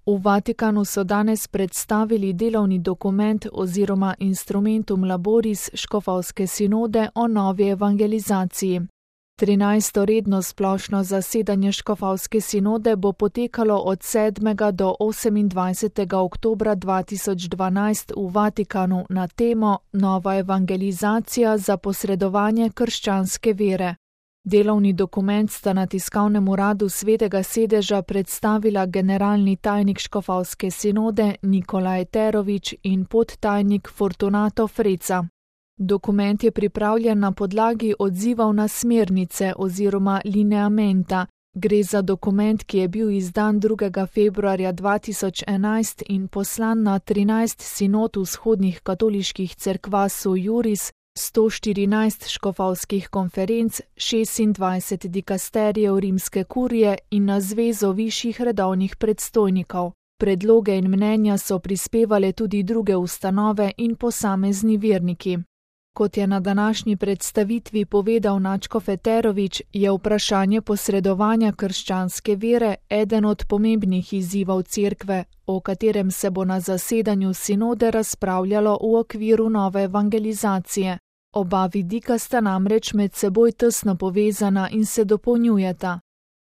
V Vatikanu so danes predstavili delovni dokument oziroma Instrumentum Laboris škofovske sinode o novi evangelizaciji. 13. redno splošno zasedanje škofovske sinode bo potekalo od 7. do 28. oktobra 2012 v Vatikanu na temo Nova evangelizacija za posredovanje krščanske vere. Delovni dokument sta na tiskovnem uradu Svetega sedeža predstavila generalni tajnik škofovske sinode Nikola Eterović in podtajnik Fortunato Freca. Dokument je pripravljen na podlagi odzivov na smernice oziroma lineamenta. Gre za dokument, ki je bil izdan 2. februarja 2011 in poslan na 13 sinod vzhodnih katoliških cerkva Sui Juris, 114 škofovskih konferenc, 26 dikasterijev rimske kurije in na zvezo višjih redovnih predstojnikov. Predloge in mnenja so prispevale tudi druge ustanove in posamezni verniki. Kot je na današnji predstavitvi povedal nadškof Eterović, je vprašanje posredovanja krščanske vere eden od pomembnih izzivov cerkve, o katerem se bo na zasedanju sinode razpravljalo v okviru nove evangelizacije. Oba vidika sta namreč med seboj tesno povezana in se dopolnjujeta.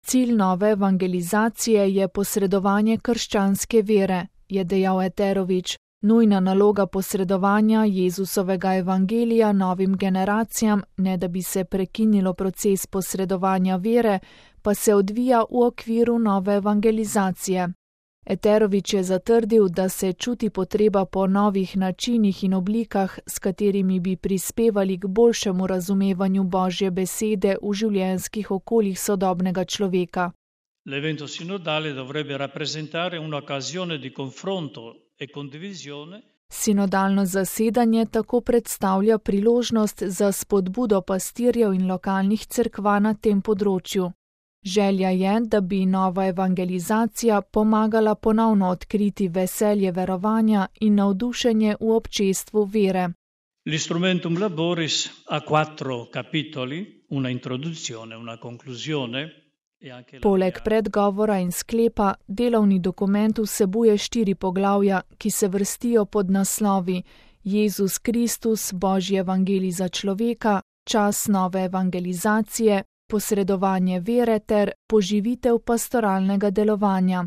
Cilj nove evangelizacije je posredovanje krščanske vere, je dejal Eterović. Nujna naloga posredovanja Jezusovega evangelija novim generacijam, ne da bi se prekinilo proces posredovanja vere, pa se odvija v okviru nove evangelizacije. Eterović je zatrdil, da se čuti potreba po novih načinih in oblikah, s katerimi bi prispevali k boljšemu razumevanju Božje besede v življenjskih okoljih sodobnega človeka. L'evento sinodale dovrebbe rappresentare un'occasione di confronto e condivisione. Sinodalno zasedanje tako predstavlja priložnost za spodbudo pastirjev in lokalnih cerkva na tem področju. Želja je, da bi nova evangelizacija pomagala ponovno odkriti veselje verovanja in navdušenje v občestvu vere. L'Instrumentum Laboris ha 4 capitoli, una introduzione, una conclusione. Poleg predgovora in sklepa, delovni dokument vsebuje 4 poglavja, ki se vrstijo pod naslovi Jezus Kristus, Božji evangelij za človeka, čas nove evangelizacije, posredovanje vere ter poživitev pastoralnega delovanja.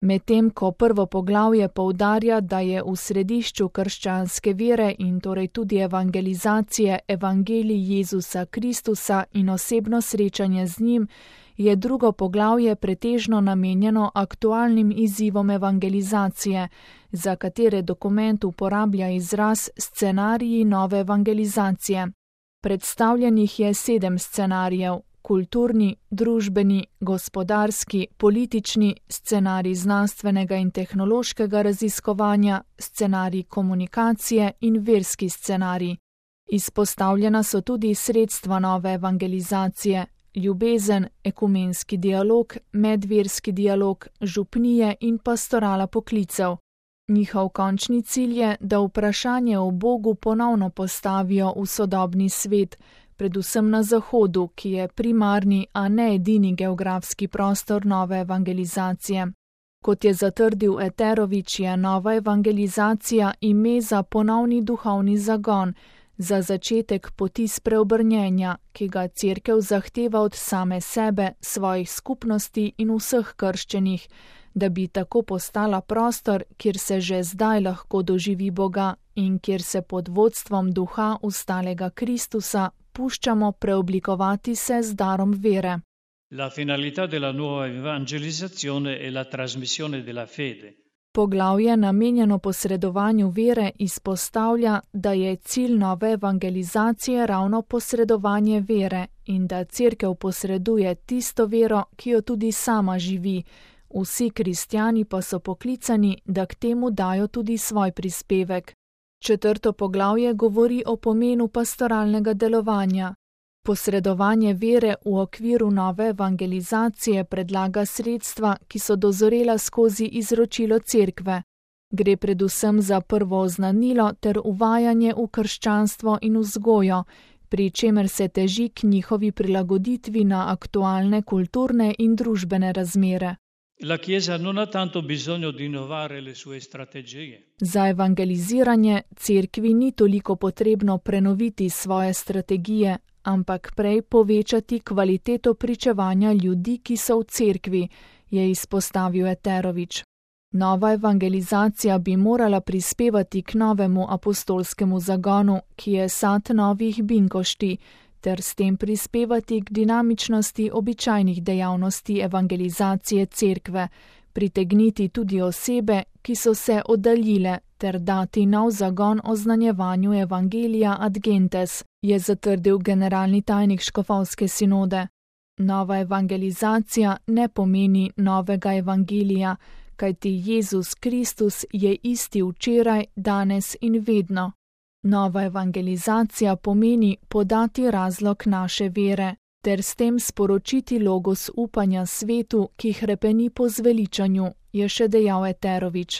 Medtem ko prvo poglavje poudarja, da je v središču krščanske vere in torej tudi evangelizacije evangelij Jezusa Kristusa in osebno srečanje z njim, je drugo poglavje pretežno namenjeno aktualnim izzivom evangelizacije, za katere dokument uporablja izraz scenariji nove evangelizacije. Predstavljenih je 7 scenarijev: kulturni, družbeni, gospodarski, politični, scenarij znanstvenega in tehnološkega raziskovanja, scenarij komunikacije in verski scenarij. Izpostavljena so tudi sredstva nove evangelizacije: ljubezen, ekumenski dialog, medverski dialog, župnije in pastorala poklicev. Njihov končni cilj je, da vprašanje o Bogu ponovno postavijo v sodobni svet, predvsem na Zahodu, ki je primarni, a ne edini geografski prostor nove evangelizacije. Kot je zatrdil Eterović, je nova evangelizacija ime za ponovni duhovni zagon, za začetek poti spreobrnjenja, ki ga cerkev zahteva od same sebe, svojih skupnosti in vseh krščenih, da bi tako postala prostor, kjer se že zdaj lahko doživi Boga in kjer se pod vodstvom duha ustalega Kristusa puščamo preoblikovati se z darom vere. La finalità della nuova evangelizzazione è la trasmissione della fede. Poglavje namenjeno posredovanju vere izpostavlja, da je cilj nove evangelizacije ravno posredovanje vere in da cerkev posreduje tisto vero, ki jo tudi sama živi. Vsi kristjani pa so poklicani, da k temu dajo tudi svoj prispevek. 4. poglavje govori o pomenu pastoralnega delovanja. Posredovanje vere v okviru nove evangelizacije predlaga sredstva, ki so dozorela skozi izročilo cerkve. Gre predvsem za prvo oznanilo ter uvajanje v krščanstvo in vzgojo, pri čemer se teži k njihovi prilagoditvi na aktualne kulturne in družbene razmere. La Chiesa non ha tanto bisogno di innovare le sue strategie. Za evangeliziranje cerkvi ni toliko potrebno prenoviti svoje strategije, ampak prej povečati kvaliteto pričevanja ljudi, ki so v cerkvi, je izpostavil Eterović. Nova evangelizacija bi morala prispevati k novemu apostolskemu zagonu, ki je sad novih binkošti, ter s tem prispevati k dinamičnosti običajnih dejavnosti evangelizacije cerkve, pritegniti tudi osebe, ki so se oddaljile, ter dati nov zagon oznanjevanju evangelija ad gentes, je zatrdil generalni tajnik škofovske sinode. Nova evangelizacija ne pomeni novega evangelija, kajti Jezus Kristus je isti včeraj, danes in vedno. Nova evangelizacija pomeni podati razlog naše vere, ter s tem sporočiti logos upanja svetu, ki hrepeni po zveličanju, je še dejal Eterović.